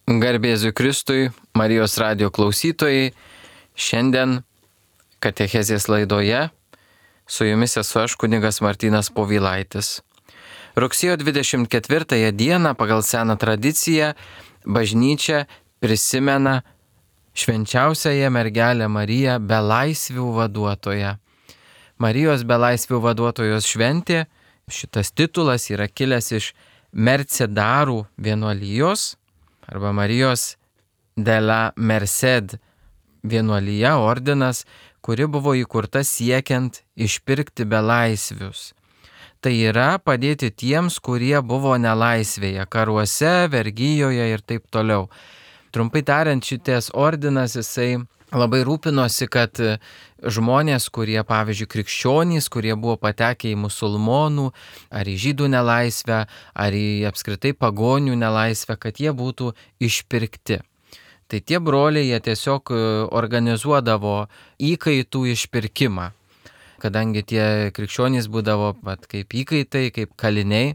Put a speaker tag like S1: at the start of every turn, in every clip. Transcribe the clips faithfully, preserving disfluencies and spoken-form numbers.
S1: Garbėsiu Kristui, Marijos radijo klausytojai, šiandien katechezės laidoje su jumis esu aš, kunigas Martynas Povilaitis. Rugsėjo dvidešimt ketvirtąją dieną pagal seną tradiciją bažnyčia prisimena švenčiausiąją mergelę Mariją belaisvių vaduotoją. Marijos belaisvių vaduotojos šventė, šitas titulas yra kilęs iš Mercedarų vienuolijos arba Marijos de la Merced vienuolija, ordinas, kuri buvo įkurta siekiant išpirkti belaisvius. Tai yra padėti tiems, kurie buvo nelaisvėje, karuose, vergijoje ir taip toliau. Trumpai tariant, šitas ordinas jisai labai rūpinosi, kad žmonės, kurie, pavyzdžiui, krikščionys, kurie buvo patekę į musulmonų, ar į žydų nelaisvę, ar į apskritai pagonių nelaisvę, kad jie būtų išpirkti. Tai tie broliai, jie tiesiog organizuodavo įkaitų išpirkimą, kadangi tie krikščionys būdavo pat kaip įkaitai, kaip kaliniai.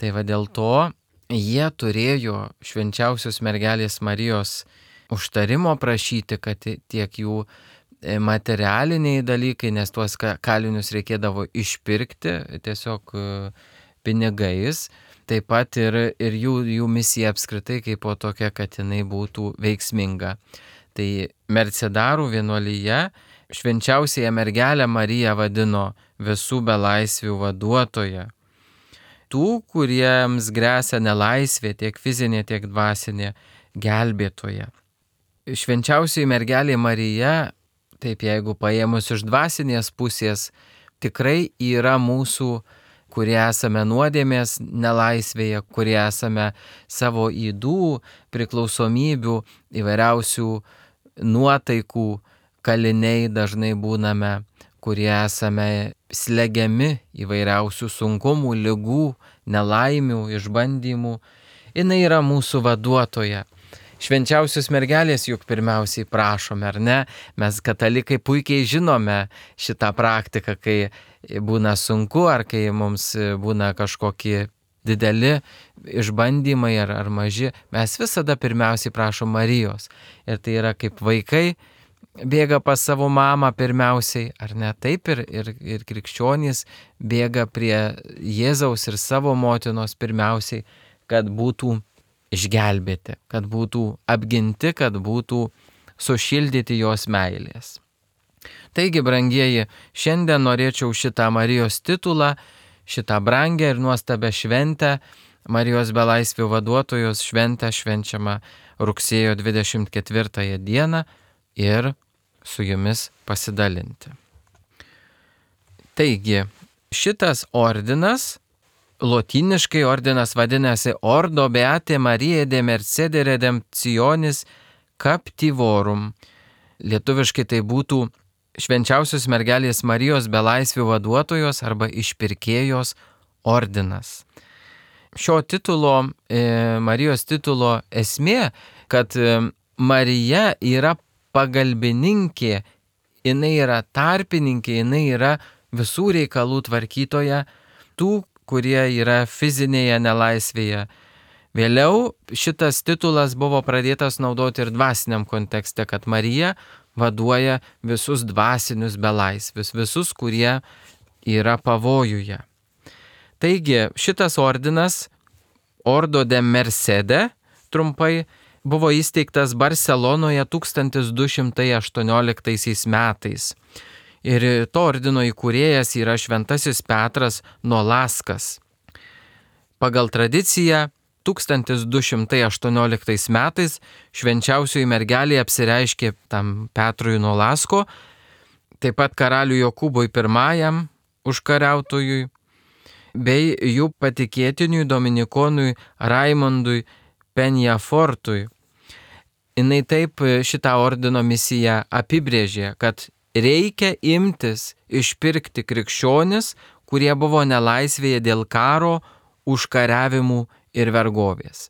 S1: Tai va dėl to jie turėjo švenčiausios mergelės Marijos užtarimo prašyti, kad tiek jų materialiniai dalykai, nes tuos kalinius reikėdavo išpirkti tiesiog pinigais, taip pat ir, ir jų, jų misija apskritai kaip po tokia, kad jinai būtų veiksminga. Tai Mercedarų vienuolyje švenčiausiąją mergelę Mariją vadino visų belaisvių vaduotoja. Tų, kuriems gresia nelaisvė, tiek fizinė, tiek dvasinė, gelbėtoja. Švenčiausioji mergelė Marija, taip jeigu paėmus iš dvasinės pusės, tikrai yra mūsų, kurie esame nuodėmės nelaisvėje, kurie esame savo ydų, priklausomybių, įvairiausių nuotaikų kaliniai dažnai būname, kurie esame slegiami įvairiausių sunkumų, ligų, nelaimių, išbandymų. Jinai yra mūsų vaduotoja. Švenčiausios mergelės juk pirmiausiai prašome, ar ne? Mes katalikai puikiai žinome šitą praktiką, kai būna sunku, ar kai mums būna kažkokie dideli išbandymai ar, ar maži. Mes visada pirmiausiai prašom Marijos. Ir tai yra kaip vaikai bėga pas savo mamą pirmiausiai, ar ne? Taip ir, ir, ir krikščionys bėga prie Jėzaus ir savo motinos pirmiausiai, kad būtų išgelbėti, kad būtų apginti, kad būtų sušildyti jos meilės. Taigi, brangieji, šiandien norėčiau šitą Marijos titulą, šitą brangę ir nuostabę šventę, Marijos belaisvių vaduotojos šventę švenčiamą rugsėjo dvidešimt ketvirtąją dieną ir su jumis pasidalinti. Taigi, šitas ordinas, lotyniškai ordinas vadinasi Ordo Beate Mariae de Mercede Redemptionis Captivorum. Lietuviškai tai būtų švenčiausios mergelės Marijos belaisvių vaduotojos arba išpirkėjos ordinas. Šio titulo, e, Marijos titulo esmė, kad e, Marija yra pagalbininkė, jinai yra tarpininkė, jinai yra visų reikalų tvarkytoja, tų, kurie yra fizinėje nelaisvėje. Vėliau šitas titulas buvo pradėtas naudoti ir dvasiniam kontekste, kad Marija vaduoja visus dvasinius belaisvius, visus, kurie yra pavojuje. Taigi šitas ordinas, Ordo de Mercede, trumpai, buvo įsteigtas Barselonoje tūkstantis du šimtai aštuonioliktaisiais metais. Ir to ordino įkūrėjas yra šventasis Petras Nolaskas. Pagal tradiciją tūkstantis du šimtai aštuonioliktais metais švenčiausioji mergelė apsireiškė tam Petrui Nolasko, taip pat karaliui Jokūbui pirmajam užkariautojui, bei jų patikėtiniui dominikonui Raimondui Penjafortui. Jinai taip šitą ordino misiją apibrėžė, kad reikia imtis išpirkti krikščionis, kurie buvo nelaisvėje dėl karo, užkariavimų ir vergovės.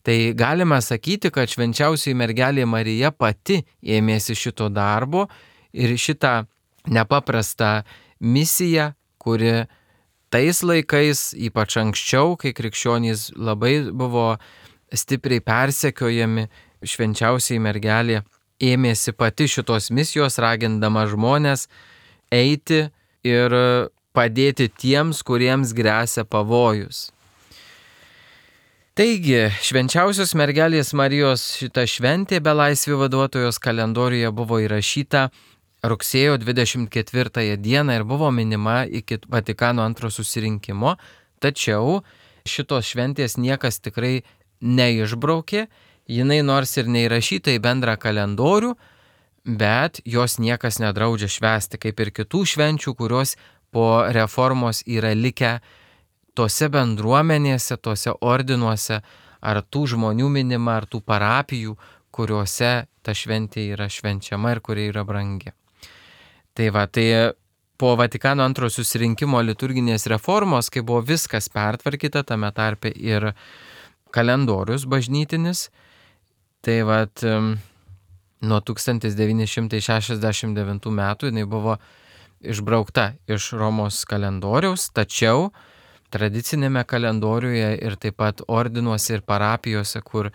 S1: Tai galima sakyti, kad švenčiausioji mergelė Marija pati ėmėsi šito darbo ir šitą nepaprastą misiją, kuri tais laikais, ypač anksčiau, kai krikščionys labai buvo stipriai persekiojami, švenčiausiai mergelė ėmėsi pati šitos misijos, ragindama žmonės eiti ir padėti tiems, kuriems gresia pavojus. Taigi, švenčiausios mergelės Marijos šita šventė belaisvių vaduotojos kalendoriuje buvo įrašyta rugsėjo dvidešimt ketvirtąją dieną ir buvo minima iki Vatikano antro susirinkimo, tačiau šitos šventės niekas tikrai neišbraukė, jinai nors ir neįrašyta į bendrą kalendorių, bet jos niekas nedraudžia švęsti, kaip ir kitų švenčių, kurios po reformos yra likę tose bendruomenėse, tose ordinuose, ar tų žmonių minima, ar tų parapijų, kuriuose ta šventė yra švenčiama ir kurie yra brangi. Tai va, tai po Vatikano antro susirinkimo liturginės reformos, kai buvo viskas pertvarkyta, tame tarpe ir kalendorius bažnytinis, tai va, nuo tūkstantis devyni šimtai šešiasdešimt devintų metų jinai buvo išbraukta iš Romos kalendoriaus, tačiau tradicinėme kalendoriuje ir taip pat ordinuose ir parapijose, kur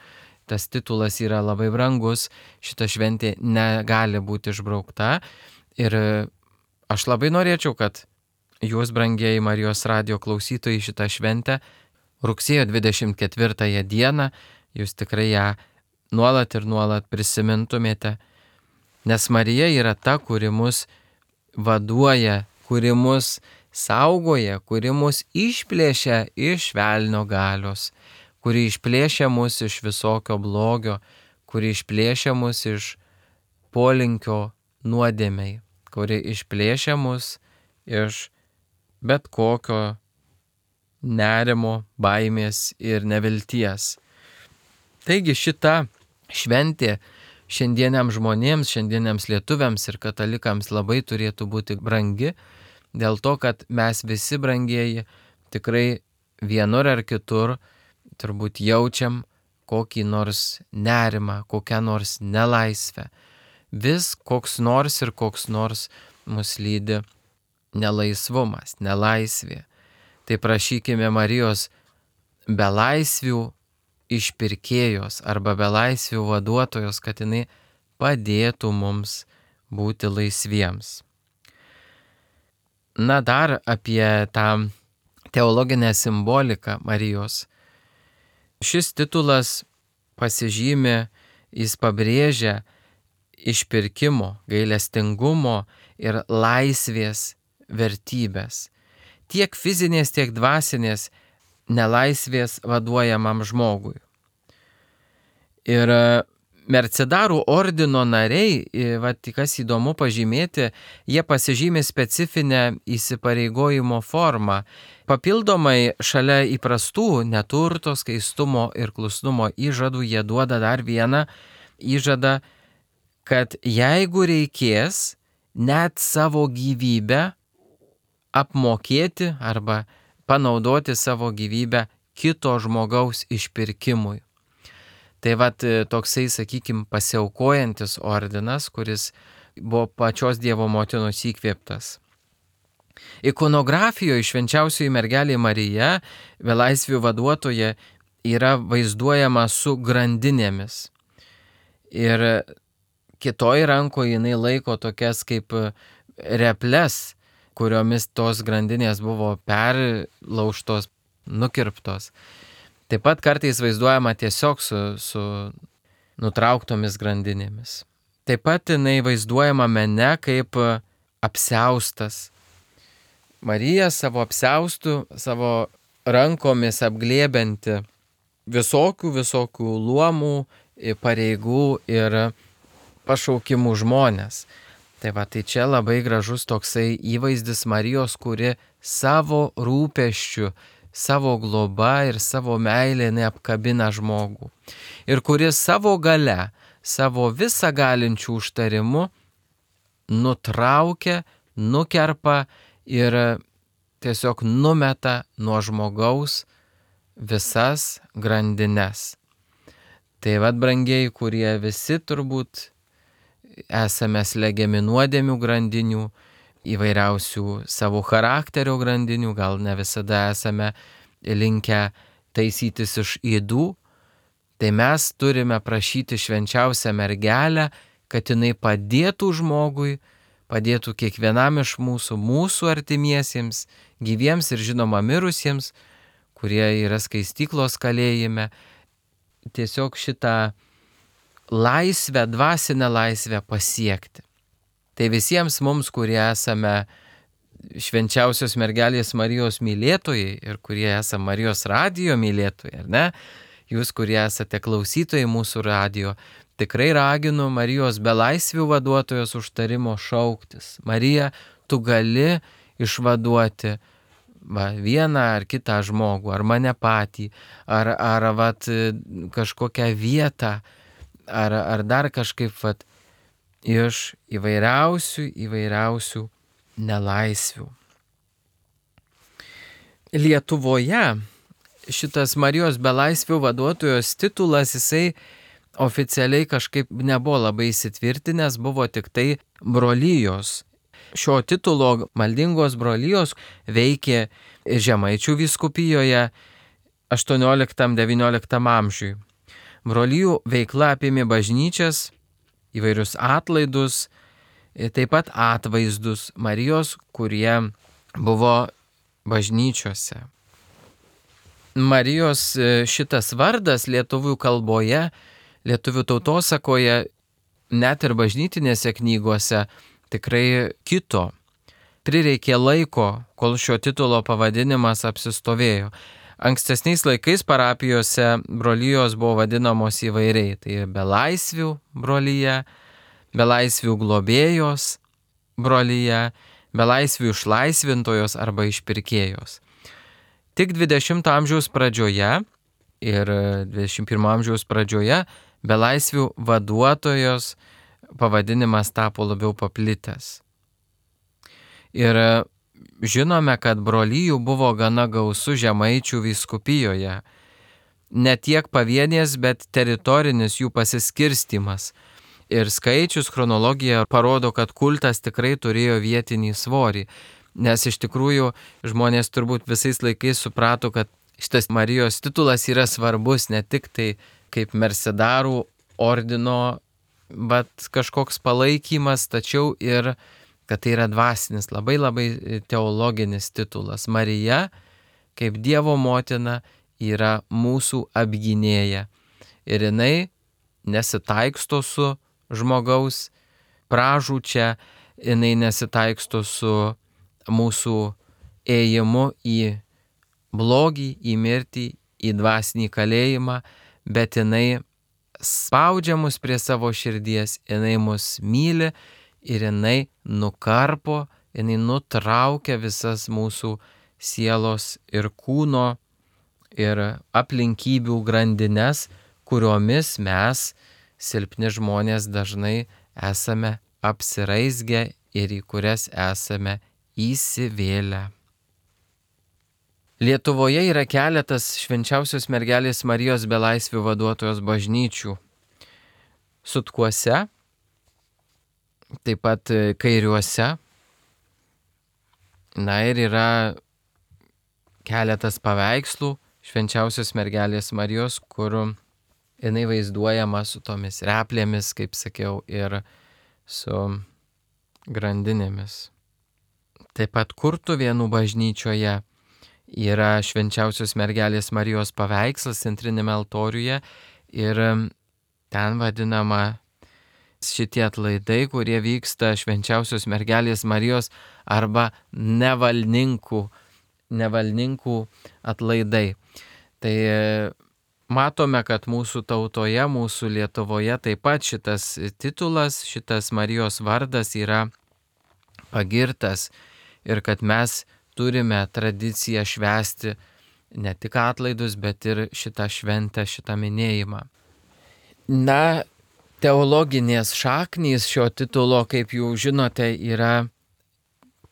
S1: tas titulas yra labai brangus, šita šventė negali būti išbraukta. Ir aš labai norėčiau, kad jūs, brangieji Marijos radijo klausytojai, šitą šventę rugsėjo dvidešimt ketvirtąją dieną, jūs tikrai ją nuolat ir nuolat prisimintumėte, nes Marija yra ta, kuri mus vaduoja, kuri mus saugoja, kuri mus išplėšia iš velnio galios, kuri išplėšia mus iš visokio blogio, kuri išplėšia mus iš polinkio nuodėmei, kuri išplėšia mus iš bet kokio nerimo, baimės ir nevilties. Taigi šita šventė šiandieniams žmonėms, šiandieniams lietuviams ir katalikams labai turėtų būti brangi, dėl to, kad mes visi, brangieji, tikrai vienur ar kitur turbūt jaučiam kokį nors nerimą, kokią nors nelaisvę. Vis koks nors ir koks nors mus lydi nelaisvumas, nelaisvė. Tai prašykime Marijos belaisvių išpirkėjos arba belaisvių vaduotojos, kad jinai padėtų mums būti laisviems. Na, dar apie tą teologinę simboliką Marijos. Šis titulas pasižymi, jis pabrėžia išpirkimo, gailestingumo ir laisvės vertybės. Tiek fizinės, tiek dvasinės nelaisvės vaduojamam žmogui. Ir Mercedarų ordino nariai, va, kas įdomu pažymėti, jie pasižymė specifinę įsipareigojimo formą. Papildomai šalia įprastų neturto, skaistumo ir klusnumo įžadų jie duoda dar vieną įžadą, kad jeigu reikės net savo gyvybę apmokėti arba panaudoti savo gyvybę kito žmogaus išpirkimui. Tai vat toksai, sakykime, pasiaukojantis ordinas, kuris buvo pačios Dievo motinos įkvėptas. Ikonografijoje švenčiausioji mergelė Marija, belaisvių vaduotoja, yra vaizduojama su grandinėmis. Ir kitoj rankoje jinai laiko tokias kaip reples, kuriomis tos grandinės buvo perlaužtos, nukirptos. Taip pat kartais vaizduojama tiesiog su, su nutrauktomis grandinėmis. Taip pat jinai vaizduojama mene kaip apsiaustas. Marija savo apsiaustų, savo rankomis apglėbianti visokių, visokių luomų, pareigų ir pašaukimų žmonės. Tai va, tai čia labai gražus toksai įvaizdis Marijos, kuri savo rūpesčių, savo globa ir savo meilė neapkabina žmogų. Ir kuris savo gale, savo visą galinčių užtarimu nutraukia, nukerpa ir tiesiog numeta nuo žmogaus visas grandines. Tai vad, brangieji, kurie visi turbūt esame slegiami nuodėmių grandinių, įvairiausių savo charakterio grandinių, gal ne visada esame linkę taisytis iš ydų, tai mes turime prašyti švenčiausią mergelę, kad jinai padėtų žmogui, padėtų kiekvienam iš mūsų, mūsų artimiesiems, gyviems ir žinoma mirusiems, kurie yra skaistyklos kalėjime, tiesiog šitą laisvę, dvasinę laisvę pasiekti. Tai visiems mums, kurie esame švenčiausios mergelės Marijos mylėtojai ir kurie esame Marijos radijo mylėtojai, ar ne? Jūs, kurie esate klausytojai mūsų radijo, tikrai raginu Marijos belaisvių vaduotojos užtarimo šauktis. Marija, tu gali išvaduoti va, vieną ar kitą žmogų, ar mane patį, ar, ar vat, kažkokią vietą, ar, ar dar kažkaip vat, iš įvairiausių, įvairiausių nelaisvių. Lietuvoje šitas Marijos belaisvių vaduotojos titulas, jisai oficialiai kažkaip nebuvo labai įsitvirtinęs, buvo tik tai brolijos. Šio titulo maldingos brolijos veikė Žemaičių vyskupijoje aštuonioliktam devynioliktam amžiui. Brolijų veikla apėmė bažnyčias, įvairius atlaidus, taip pat atvaizdus Marijos, kurie buvo bažnyčiose. Marijos šitas vardas lietuvių kalboje, lietuvių tautosakoje, net ir bažnytinėse knygose tikrai kito. Prireikė laiko, kol šio titulo pavadinimas apsistovėjo. Ankstesniais laikais parapijose brolijos buvo vadinamos įvairiai. Tai belaisvių brolija, belaisvių globėjos brolija, belaisvių išlaisvintojos arba išpirkėjos. Tik dvidešimto amžiaus pradžioje ir dvidešimt pirmo amžiaus pradžioje belaisvių vaduotojos pavadinimas tapo labiau paplitęs. Ir žinome, kad brolijų buvo gana gausu Žemaičių vyskupijoje. Ne tiek pavienės, bet teritorinis jų pasiskirstimas. Ir skaičius, chronologija parodo, kad kultas tikrai turėjo vietinį svorį. Nes iš tikrųjų žmonės turbūt visais laikais suprato, kad šitas Marijos titulas yra svarbus ne tik tai kaip mercedarų ordino, bet kažkoks palaikymas, tačiau ir kad tai yra dvasinis, labai labai teologinis titulas. Marija, kaip Dievo motina, yra mūsų apgynėja. Ir jinai nesitaiksto su žmogaus pražūčia, jinai nesitaiksto su mūsų ėjimu į blogį, į mirtį, į dvasinį kalėjimą, bet jinai spaudžia mus prie savo širdies, jinai mus myli ir jinai nukarpo, jinai nutraukia visas mūsų sielos ir kūno ir aplinkybių grandines, kuriomis mes, silpni žmonės, dažnai esame apsiraizgę ir į kurias esame įsivėlę. Lietuvoje yra keletas švenčiausios mergelės Marijos belaisvių vaduotojos bažnyčių. Sutkuose, taip pat Kairiuose. Na ir yra keletas paveikslų švenčiausios mergelės Marijos, kur jinai vaizduojama su tomis replėmis, kaip sakiau, ir su grandinėmis. Taip pat Kurtuvėnų bažnyčioje yra švenčiausios mergelės Marijos paveikslas centrinėme altoriuje ir ten vadinama šitie atlaidai, kurie vyksta švenčiausios mergelės Marijos arba nevalninkų, nevalninkų atlaidai. Tai matome, kad mūsų tautoje, mūsų Lietuvoje taip pat šitas titulas, šitas Marijos vardas yra pagirtas ir kad mes turime tradiciją švęsti ne tik atlaidus, bet ir šitą šventę, šitą minėjimą. Na, teologinės šaknys šio titulo, kaip jau žinote, yra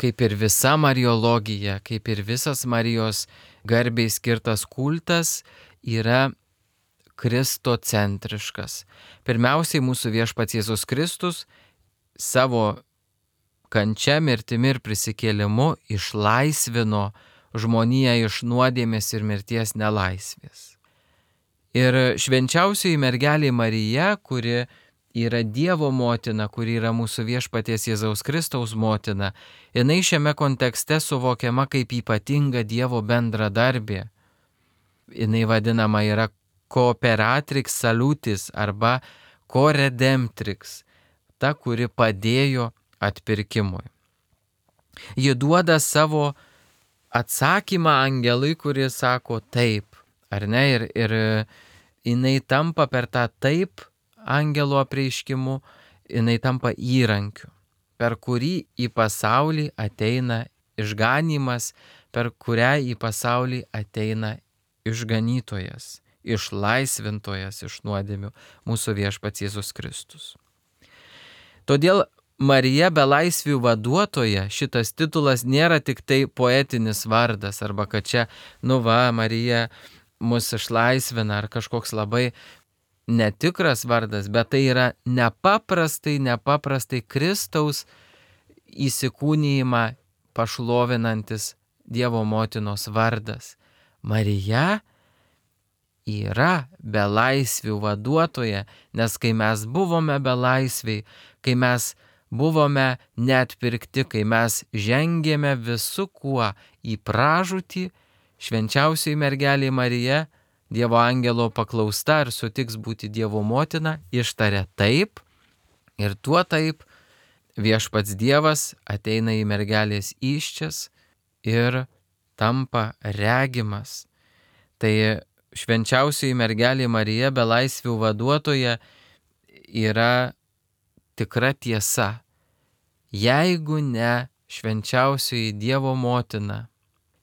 S1: kaip ir visa mariologija, kaip ir visas Marijos garbei skirtas kultas, yra kristocentriškas. Pirmiausiai mūsų viešpats Jėzus Kristus savo kančia, mirtimi ir prisikėlimu išlaisvino žmoniją iš nuodėmės ir mirties nelaisvės. Ir švenčiausioji mergelė Marija, kuri yra Dievo motina, kuri yra mūsų viešpaties Jėzaus Kristaus motina, jinai šiame kontekste suvokiama kaip ypatinga Dievo bendradarbė. Jinai vadinama yra cooperatrix salutis arba co-redemptrix, ta, kuri padėjo atpirkimui. Ji duoda savo atsakymą angelui, kuris sako taip, ar ne, ir, ir jinai tampa per tą taip angelo apreiškimu, jinai tampa įrankiu, per kurį į pasaulį ateina išganymas, per kurią į pasaulį ateina išganytojas, išlaisvintojas iš nuodėmių, mūsų viešpats Jėzus Kristus. Todėl Marija belaisvių vaduotoja, šitas titulas nėra tik tai poetinis vardas, arba kad čia, nu va, Marija mus išlaisvina, ar kažkoks labai netikras vardas, bet tai yra nepaprastai, nepaprastai Kristaus įsikūnijimą pašlovinantis Dievo motinos vardas. Marija yra belaisvių vaduotoja, nes kai mes buvome belaisviai, kai mes buvome neatpirkti, kai mes žengėme visu kuo į pražūtį, švenčiausioji mergelė Marija, Dievo angelo paklausta ar sutiks būti Dievo motina, ištarė taip, ir tuo taip viešpats Dievas ateina į mergelės įsčias ir tampa regimas. Tai švenčiausioji mergelė Marija, belaisvių vaduotoja, yra tikra tiesa. Jeigu ne švenčiausioji Dievo motina,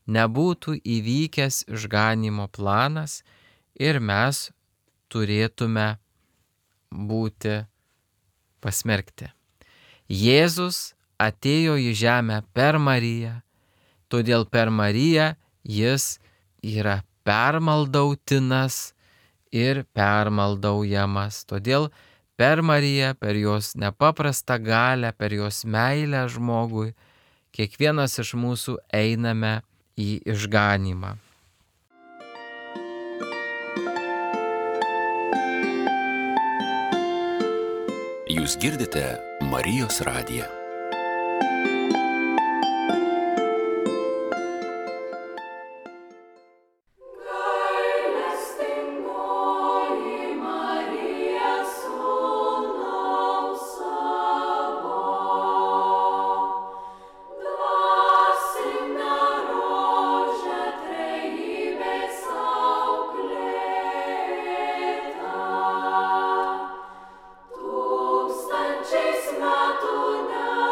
S1: nebūtų įvykęs išganymo planas ir mes turėtume būti pasmerkti. Jėzus atėjo į žemę per Mariją, todėl per Mariją jis yra permaldautinas ir permaldaujamas. Todėl per Mariją, per jos nepaprastą galią, per jos meilę žmogui, kiekvienas iš mūsų einame į išganymą.
S2: Jūs girdite Marijos radiją.
S3: Tūkstančiais metų ne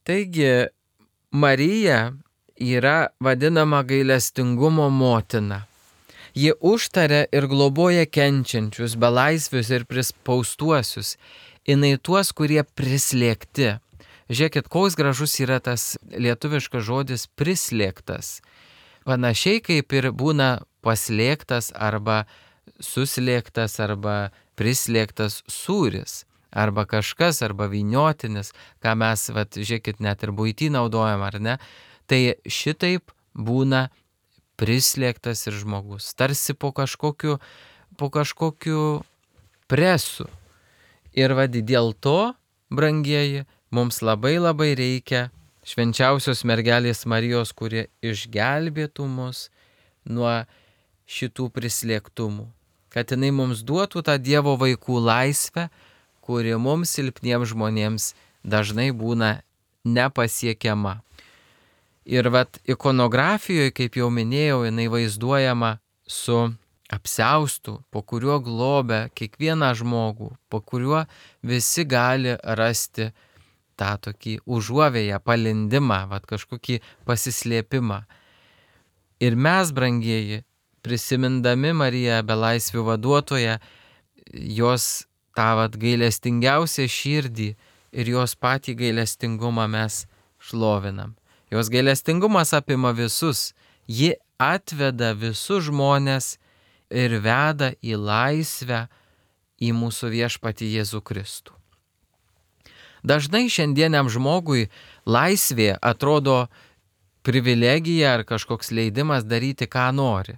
S1: Taigi, Marija yra vadinama gailestingumo motina. Ji užtaria ir globoja kenčiančius, belaisvius ir prispaustuosius, jinai tuos, kurie prislėgti. Žiūrėkit, koks gražus yra tas lietuviškas žodis prislėgtas. Panašiai kaip ir būna paslėgtas arba suslėgtas arba prislėgtas sūris. Arba kažkas, arba vyniotinis, ką mes, vat, žiūrėkit, net ir buitį naudojam, ar ne? Tai šitaip būna prislėgtas ir žmogus, tarsi po kažkokiu, po kažkokiu presu. Ir vad dėl to, brangieji, mums labai labai reikia švenčiausios mergelės Marijos, kurie išgelbėtų mus nuo šitų prislėgtumų. Kad jinai mums duotų tą Dievo vaikų laisvę, kuri mums silpniems žmonėms dažnai būna nepasiekiama. Ir vat ikonografijoje, kaip jau minėjau, jinai vaizduojama su apsiaustu, po kuriuo globia kiekvieną žmogų, po kuriuo visi gali rasti tą tokį užuovėją, palindimą, vat kažkokį pasislėpimą. Ir mes, brangieji, prisimindami Mariją belaisvių vaduotoją, jos tą vat gailestingiausią širdį ir jos patį gailestingumą mes šlovinam. Jos gailestingumas apima visus, ji atveda visus žmonės ir veda į laisvę, į mūsų viešpatį Jėzų Kristų. Dažnai šiandieniam žmogui laisvė atrodo privilegija ar kažkoks leidimas daryti, ką nori.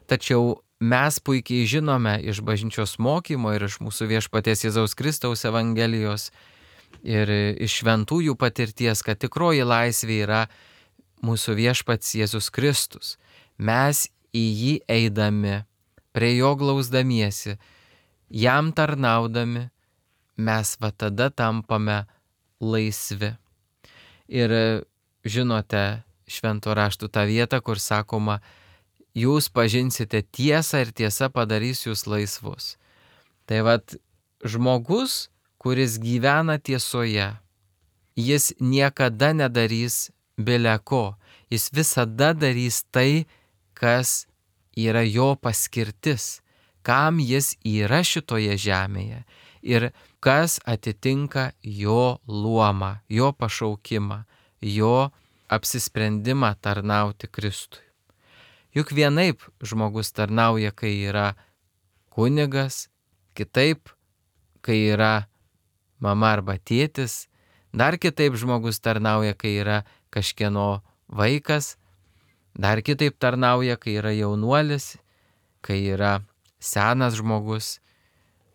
S1: Tačiau mes puikiai žinome iš bažnyčios mokymo ir iš mūsų viešpaties Jėzaus Kristaus Evangelijos ir iš šventųjų patirties, kad tikroji laisvė yra mūsų viešpats Jėzus Kristus. Mes į jį eidami, prie jo glausdamiesi, jam tarnaudami, mes va tada tampame laisvi. Ir žinote švento raštų tą vietą, kur sakoma, jūs pažinsite tiesą ir tiesa padarys jūs laisvus. Tai vat žmogus, kuris gyvena tiesoje, jis niekada nedarys bile ko. Jis visada darys tai, kas yra jo paskirtis, kam jis yra šitoje žemėje ir kas atitinka jo luomą, jo pašaukimą, jo apsisprendimą tarnauti Kristui. Juk vienaip žmogus tarnauja, kai yra kunigas, kitaip, kai yra mama arba tėtis, dar kitaip žmogus tarnauja, kai yra kažkieno vaikas, dar kitaip tarnauja, kai yra jaunuolis, kai yra senas žmogus,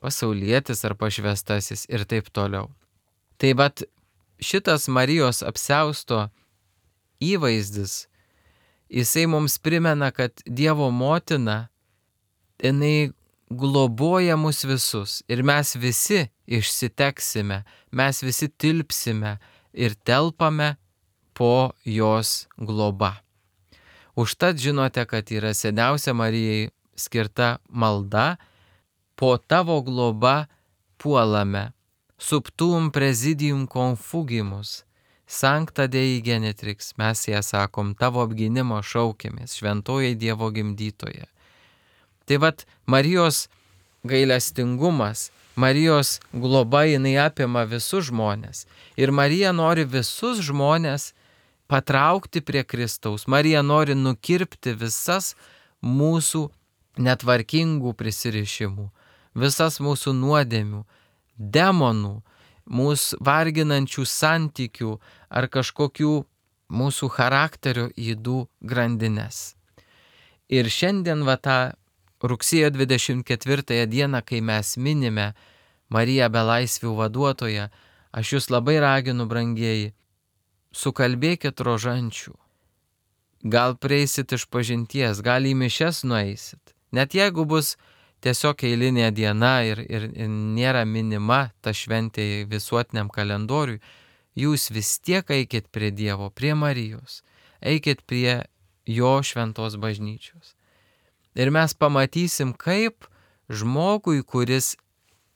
S1: pasaulietis ar pašvestasis ir taip toliau. Tai vat šitas Marijos apsiausto įvaizdis, jisai mums primena, kad Dievo motina, jinai globoja mus visus ir mes visi išsiteksime, mes visi tilpsime ir telpame po jos globa. Užtat žinote, kad yra seniausia Marijai skirta malda, po tavo globa puolame, subtum presidium confugimus, sancta Dei genitrix, mes ją sakom, tavo apgynimo šaukėmės, šventoji Dievo gimdytoje. Tai vat Marijos gailestingumas, Marijos globa, jinai apima visus žmonės. Ir Marija nori visus žmonės patraukti prie Kristaus. Marija nori nukirpti visas mūsų netvarkingų prisirišimų, visas mūsų nuodėmių, demonų, mūsų varginančių santykių ar kažkokių mūsų charakterio ydų grandines. Ir šiandien va tą rugsėjo dvidešimt ketvirtąją dieną, kai mes minime Mariją belaisvių vaduotoją, aš jūs labai raginu, brangieji, sukalbėkit rožančių. Gal prieisit iš pažinties, gal į mišias nueisit. Net jeigu bus tiesiog eilinė diena ir, ir, ir nėra minima ta šventė visuotiniam kalendoriui, jūs vis tiek eikit prie Dievo, prie Marijos, eikit prie jo šventos bažnyčios. Ir mes pamatysim, kaip žmogui, kuris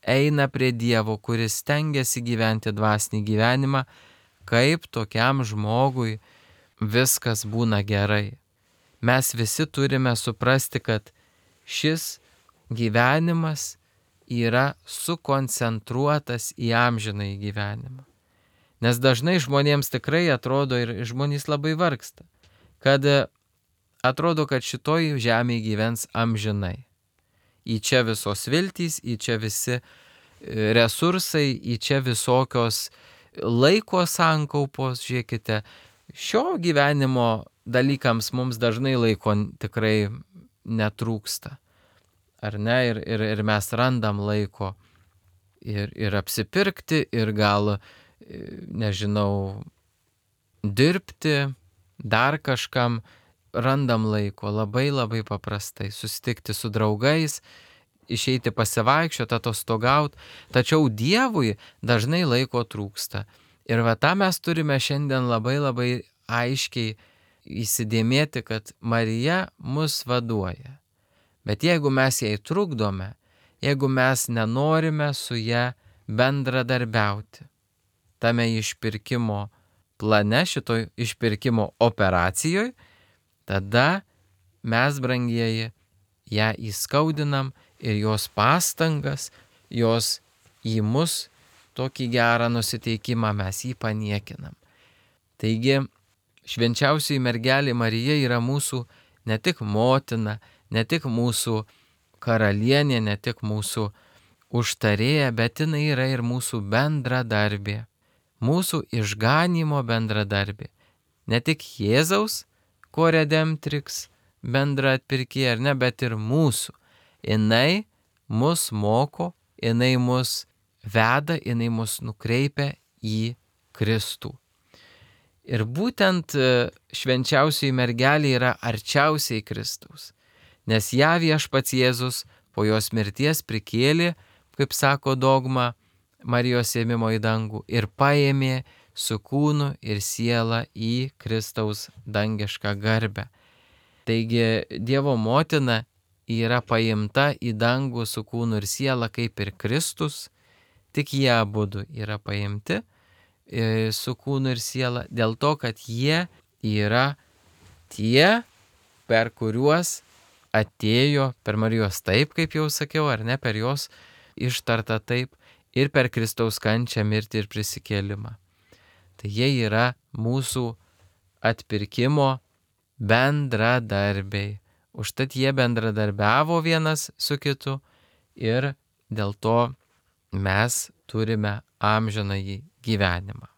S1: eina prie Dievo, kuris stengiasi gyventi dvasinį gyvenimą, kaip tokiam žmogui viskas būna gerai. Mes visi turime suprasti, kad šis gyvenimas yra sukoncentruotas į amžinąjį gyvenimą. Nes dažnai žmonėms tikrai atrodo, ir žmonės labai vargsta, kad atrodo, kad šitoj žemėje gyvens amžinai. Į čia visos viltys, į čia visi resursai, į čia visokios laiko sankaupos. Žiūrėkite, šio gyvenimo dalykams mums dažnai laiko tikrai netrūksta. Ar ne? Ir, ir, ir mes randam laiko ir, ir apsipirkti, ir gal, nežinau, dirbti, dar kažkam randam laiko labai labai paprastai, susitikti su draugais, išeiti pasivaikščioti, atostogauti, tačiau Dievui dažnai laiko trūksta. Ir va tą mes turime šiandien labai labai aiškiai įsidėmėti, kad Marija mus vaduoja. Bet jeigu mes jai trukdome, jeigu mes nenorime su ja bendradarbiauti, tame išpirkimo plane, šitoj išpirkimo operacijoje, tada mes, brangieji, ją įskaudinam ir jos pastangas, jos į mus tokį gerą nusiteikimą mes jį paniekinam. Taigi, švenčiausioji mergelė Marija yra mūsų ne tik motina, ne tik mūsų karalienė, ne tik mūsų užtarėja, bet jinai yra ir mūsų bendradarbė, mūsų išganymo bendradarbė. Ne tik Jėzaus, ko redemptrix, bendra atpirkėja, ar ne, bet ir mūsų. Jinai mus moko, jinai mus veda, jinai mus nukreipia į Kristų. Ir būtent švenčiausioji mergelė yra arčiausiai Kristaus, nes ją viešpats Jėzus po jos mirties prikėlė, kaip sako dogma, Marijos ėmimo į dangų ir paėmė su kūnu ir siela į Kristaus dangišką garbę. Taigi Dievo motina yra paimta į dangų su kūnu ir siela kaip ir Kristus, tik jie abudu yra paimti su kūnu ir siela dėl to, kad jie yra tie, per kuriuos atėjo, per Marijos taip, kaip jau sakiau, ar ne, per jos ištarta taip, ir per Kristaus kančią, mirtį ir prisikėlimą. Tai jie yra mūsų atpirkimo bendradarbiai. Užtat jie bendradarbiavo vienas su kitu ir dėl to mes turime amžinąjį gyvenimą.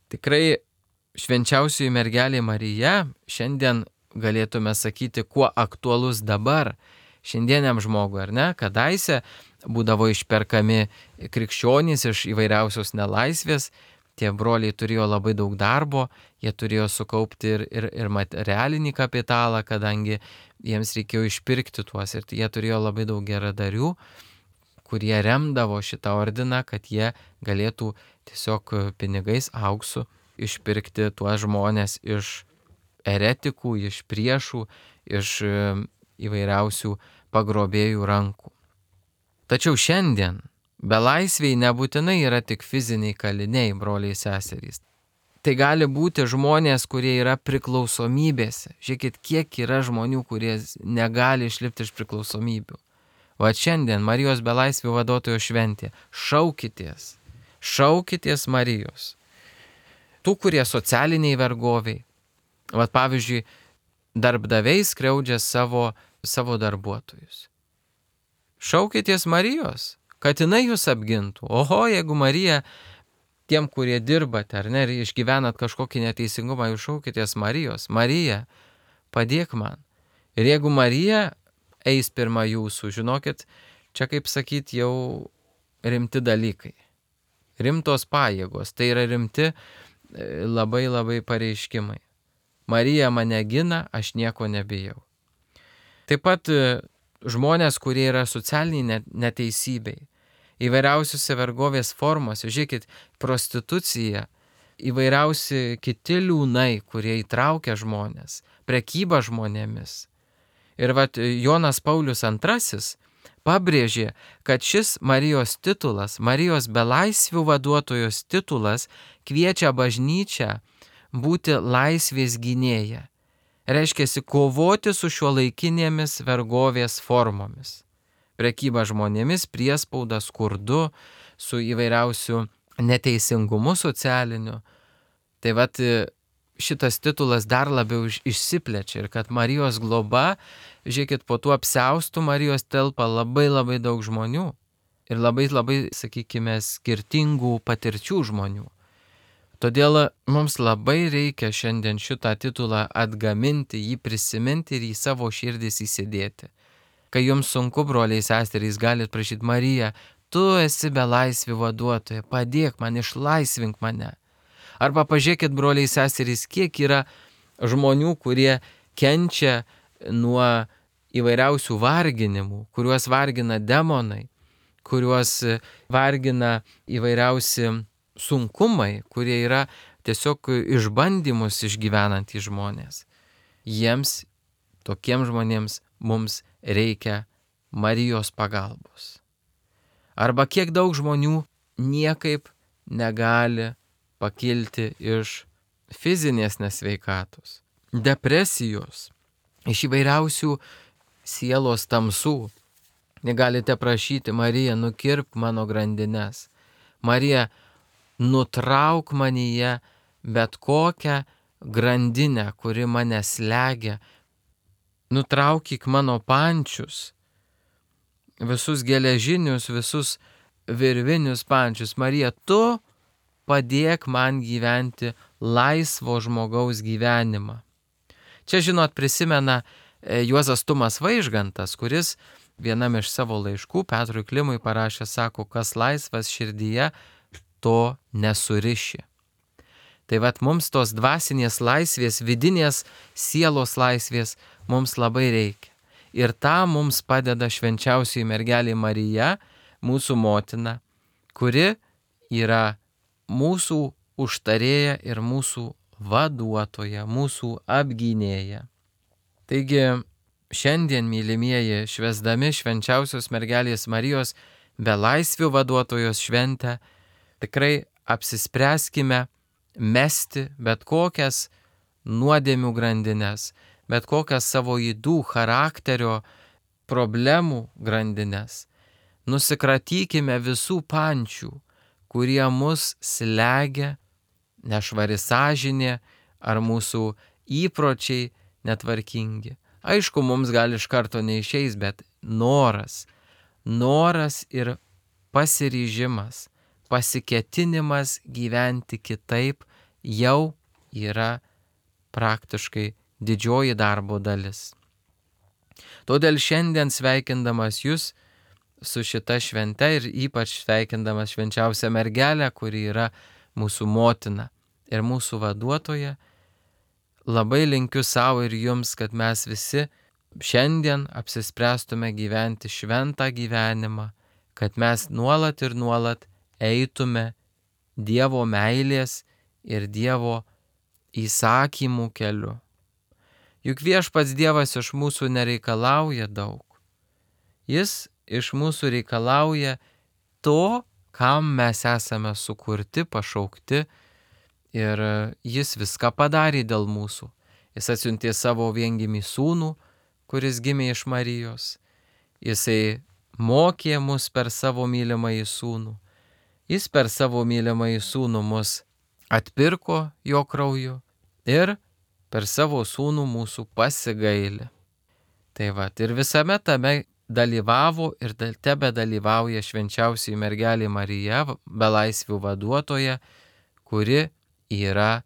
S1: Tikrai švenčiausioji mergelė Marija šiandien galėtume sakyti, kuo aktualus dabar šiandieniam žmogui, ar ne? Kadaise būdavo išperkami krikščionys iš įvairiausios nelaisvės, tie broliai turėjo labai daug darbo, jie turėjo sukaupti ir, ir, ir materialinį kapitalą, kadangi jiems reikėjo išpirkti tuos, ir jie turėjo labai daug geradarių, kurie remdavo šitą ordiną, kad jie galėtų tiesiog pinigais, auksu išpirkti tuos žmonės iš eretikų, iš priešų, iš įvairiausių pagrobėjų rankų. Tačiau šiandien belaisviai nebūtinai yra tik fiziniai kaliniai, broliai seserys. Tai gali būti žmonės, kurie yra priklausomybėse. Žiūrėkit, kiek yra žmonių, kurie negali išlipti iš priklausomybių. Va šiandien Marijos belaisvių vaduotojo šventė. Šaukitės, šaukitės Marijos. Tų, kurie socialiniai vergoviai. Va pavyzdžiui, darbdaviai skriaudžia savo, savo darbuotojus. Šaukitės Marijos, kad jinai jūs apgintų. Oho, jeigu Marija, tiem, kurie dirbate, ar ne, ir išgyvenat kažkokį neteisingumą, jūs šaukitės Marijos. Marija, padėk man. Ir jeigu Marija eis pirma jūsų, žinokit, čia kaip sakyt jau rimti dalykai. Rimtos pajėgos, tai yra rimti labai labai pareiškimai. Marija mane gina, aš nieko nebijau. Taip pat žmonės, kurie yra socialiniai neteisybei, įvairiausiose vergovės formose, žiūrėkit, prostitucija, įvairiausi kiti liūnai, kurie įtraukia žmonės, prekyba žmonėmis. Ir vat Jonas Paulius antrasis pabrėžė, kad šis Marijos titulas, Marijos belaisvių vaduotojos titulas kviečia bažnyčią būti laisvės gynėja. Reiškia kovoti su šiuolaikinėmis vergovės formomis. Prekyba žmonėmis, priespauda, skurdu, su įvairiausiu neteisingumu socialiniu. Tai vat šitas titulas dar labiau išsiplečia ir kad Marijos globa, žiūrėkit, po tuo apsiaustų Marijos telpa labai labai daug žmonių ir labai labai, sakykime, skirtingų patirčių žmonių. Todėl mums labai reikia šiandien šitą titulą atgaminti, jį prisiminti ir į savo širdis įsidėti. Kai jums sunku, broliai seserys, galit prašyti: Marija, tu esi belaisvių vaduotoja, padėk man, išlaisvink mane. Arba pažiūrėkit, broliai seserys, kiek yra žmonių, kurie kenčia nuo įvairiausių varginimų, kuriuos vargina demonai, kuriuos vargina įvairiausi sunkumai, kurie yra tiesiog išbandymus išgyvenantys žmonės. Jiems, tokiems žmonėms, mums reikia Marijos pagalbos. Arba kiek daug žmonių niekaip negali pakilti iš fizinės nesveikatos, depresijos, iš įvairiausių sielos tamsų. Negalite prašyti: Marija, nukirpk mano grandines. Marija, nutrauk manyje bet kokią grandinę, kuri mane slegia. Nutraukyk mano pančius, visus geležinius, visus virvinius pančius. Marija, tu padėk man gyventi laisvo žmogaus gyvenimą. Čia, žinot, prisimena Juozas Tumas Vaižgantas, kuris vienam iš savo laiškų Petrui Klimui parašė, sako: kas laisvas širdyje, to nesuriši. Tai vat mums tos dvasinės laisvės, vidinės sielos laisvės mums labai reikia. Ir tą mums padeda švenčiausioji mergelė Marija, mūsų motina, kuri yra mūsų užtarėja ir mūsų vaduotoja, mūsų apgynėja. Taigi šiandien, mylimieji, švęsdami švenčiausios mergelės Marijos belaisvių vaduotojos šventę, tikrai apsispręskime mesti bet kokias nuodėmių grandines, bet kokias savo ydų, charakterio problemų grandines. Nusikratykime visų pančių, kurie mus slegia, nešvari sąžinė ar mūsų įpročiai netvarkingi. Aišku, mums gal iš karto neišeis, bet noras, noras ir pasiryžimas, pasiketinimas gyventi kitaip jau yra praktiškai didžioji darbo dalis. Todėl šiandien sveikindamas jūs su šita švente ir ypač sveikindamas švenčiausią mergelę, kuri yra mūsų motina ir mūsų vaduotoja, labai linkiu savo ir jums, kad mes visi šiandien apsispręstume gyventi šventą gyvenimą, kad mes nuolat ir nuolat eitume Dievo meilės ir Dievo įsakymų keliu. Juk viešpats Dievas iš mūsų nereikalauja daug. Jis iš mūsų reikalauja to, kam mes esame sukurti, pašaukti, ir jis viską padarė dėl mūsų. Jis atsiuntė savo viengimį sūnų, kuris gimė iš Marijos. Jisai mokė mus per savo mylimąjį sūnų. Jis per savo mylimąjį sūnų mus atpirko jo krauju ir per savo sūnų mūsų pasigailė. Tai va, ir visame tame dalyvavo ir tebe dalyvauja švenčiausioji mergelė Marija, belaisvių vaduotoja, kuri yra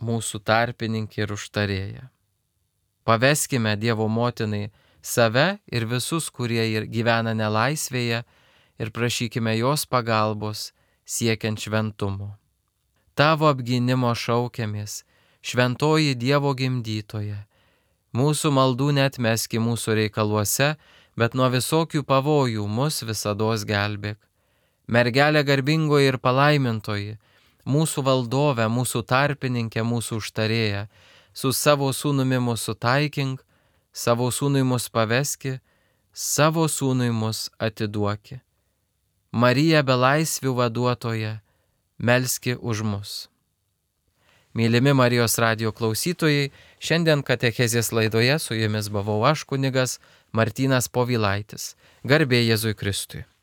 S1: mūsų tarpininkė ir užtarėja. Paveskime Dievo motinai save ir visus, kurie gyvena nelaisvėje, ir prašykime jos pagalbos siekiant šventumo. Tavo apgynimo šaukiamės, šventoji Dievo gimdytoja. Mūsų maldų neatmeski mūsų reikaluose, bet nuo visokių pavojų mus visados gelbėk. Mergelė garbingoji ir palaimintoji, mūsų valdove, mūsų tarpininkė, mūsų užtarėja, su savo sūnumi mūsų taikink, savo sūnui mus paveski, savo sūnui mus atiduoki. Marija belaisvių vaduotoja, melski už mus. Mylimi Marijos radijo klausytojai, šiandien katechezės laidoje su jumis buvau aš, kunigas Martynas Povilaitis. Garbė Jėzui Kristui.